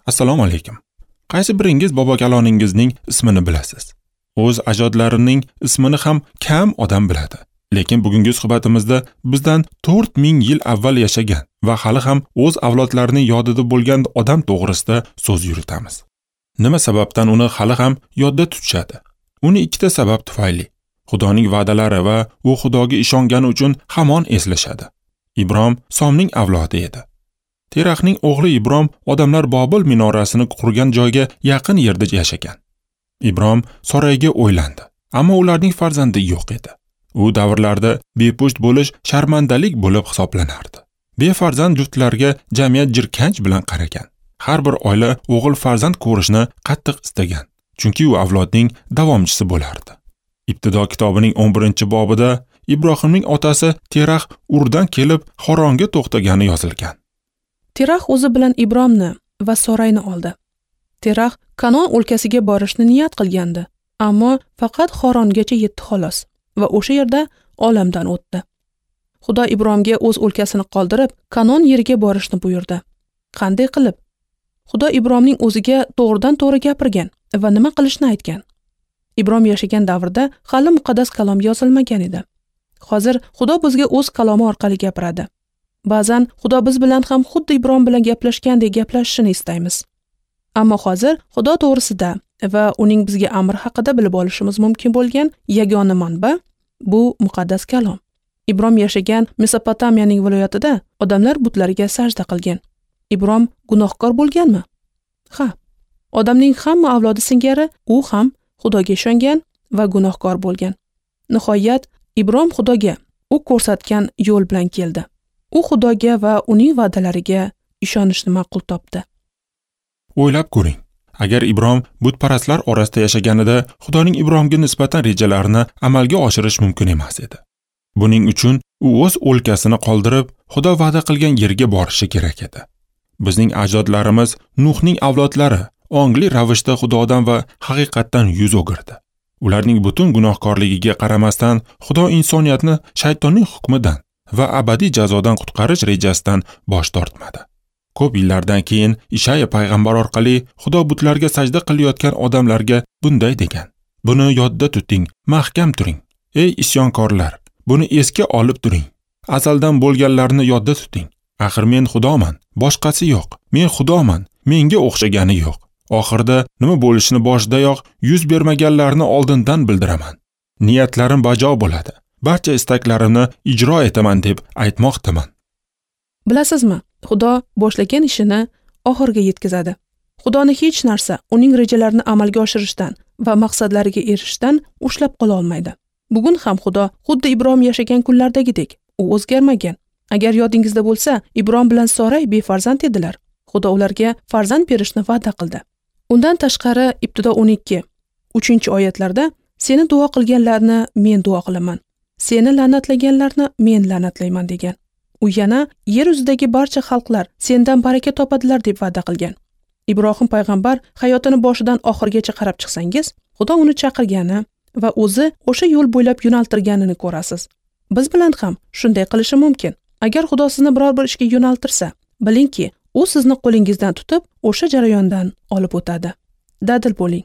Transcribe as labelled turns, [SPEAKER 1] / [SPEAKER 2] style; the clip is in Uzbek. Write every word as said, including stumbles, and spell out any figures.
[SPEAKER 1] Assalomu alaykum. Qaysi biringiz bobokaloningizning ismini bilasiz? O'z ajdodlarining ismini ham kam odam biladi. Lekin bugungi suhbatimizda bizdan to'rt ming yil avval yashagan va hali ham o'z avlodlarining yodida bo'lgan odam to'g'risida so'z yuritamiz. Nima sababdan uni hali ham yodda tutishadi? Uni ikkita sabab tufayli. Xudoning va'dalari va u Xudoga ishongani uchun hamon eslashadi. Ibrom Somning avlodi edi. Teraxning o'g'li Ibrom odamlar Bobil minorasini qurgan joyga yaqin yerda yashagan. Ibrom Sorayga o'ylandi, ammo ularning farzandi yo'q edi. U davrlarda bepusht bo'lish sharmandalik bo'lib hisoblanardi. Befarzand juftlarga jamiyat jirkanch bilan qaragan. Har bir oila o'g'il farzand ko'rishni qattiq istagan, chunki u avlodning davomchisi bo'lardi. Ibtido kitobining o'n birinchi bobida Ibrohimning otasi Terax Urdan kelib Xoronga to'xtagani yozilgan.
[SPEAKER 2] Terax o'zi bilan Ibromni va Sorayni oldi. Terax Kanon o'lkasiga borishni niyat qilgandi, ammo faqat Xorongacha yetdi xolos va o'sha yerda olamdan o'tdi. Xudo Ibromga o'z o'lkasini qoldirib, Kanon yeriga borishni buyurdi. Qanday qilib? Xudo Ibromning o'ziga to'g'ridan-to'g'ri gapirgan va nima qilishni aytgan. Ibrom yashagan davrda hali muqaddas kalom yozilmagan edi. Hozir Xudo bizga o'z kalomi orqali gapiradi. Ba'zan Xudo biz bilan ham xuddi Ibrom bilan gaplashgandek gaplashishini istaymiz. Ammo hozir Xudo to'g'risida va uning bizga amri haqida bilib olishimiz mumkin bo'lgan yagona manba bu muqaddas kalom. Ibrom yashagan Mesopotamiyaning viloyatida odamlar butlarga sajda qilgan. Ibrom gunohkor bo'lganmi? Ha. Odamning hamma avlodi singari u ham Xudoga ishongan va gunohkor bo'lgan. Nihoyat Ibrom Xudoga u ko'rsatgan yo'l bilan keldi. U Xudoga va uning va'dalariga ishonishni ma'qul topdi.
[SPEAKER 1] O'ylab ko'ring. Agar Ibrom butparastlar orasida yashaganida Xudoning Ibromga nisbatan rejalarini amalga oshirish mumkin emas edi. Buning uchun u o'z o'lkasini qoldirib, Xudo va'da qilgan yerga borishi kerak edi. Bizning ajdodlarimiz Nuhning avlodlari ongli ravishda Xudodan va haqiqatdan yuz o'girdi. Ularning butun gunohkorligiga qaramasdan Xudo insoniyatni shaytonning hukmidan va abadiy jazodan qutqarish rejasidan bosh tortmadi. Ko'p yillardan keyin Ishaya payg'ambar orqali Xudo butlarga sajda qilayotgan odamlarga bunday degan: Buni yodda tuting, mahkam turing. Ey isyonkorlar, buni esga olib turing. Azaldan bo'lganlarni yodda tuting. Axir men Xudoman, boshqasi yo'q. Men Xudoman, menga o'xshagani yo'q. Oxirda nima bo'lishini boshidayoq yuz bermaganlarni oldindan bildiraman. Niyatlarim bajo bo'ladi. Barcha istaklarimni ijro etaman deb aytmoqdaman.
[SPEAKER 2] Bilasizmi, Xudo boshlagan ishini oxiriga yetkazadi. Xudoni hech narsa uning rejalarini amalga oshirishdan va maqsadlariga erishishdan ushlab qola olmaydi. Bugun ham Xudo xuddi Ibrom yashagan kunlardagidek, u o'zgarmagan. Agar yodingizda bo'lsa, Ibrom bilan Soray befarzand edilar. Xudo ularga farzand berishni va'da qildi. Undan tashqari Ibtido o'n ikki uchinchi oyatlarda seni duo qilganlarni men duo qilaman, seni la'natlaganlarni men la'natlayman degan. U yana yer yuzidagi barcha xalqlar sendan baraka topadilar deb va'da qilgan. Ibrohim payg'ambar hayotini boshidan oxirigacha qarab chiqsangiz, Xudo uni chaqirgani va o'zi o'sha yo'l bo'ylab yo'naltirganini ko'rasiz. Biz bilan ham shunday qilishi mumkin. Agar Xudo sizni biror bir ishga yo'naltirsa, bilingki, u sizni qo'lingizdan tutib, o'sha jarayondan olib o'tadi. Dadil bo'ling.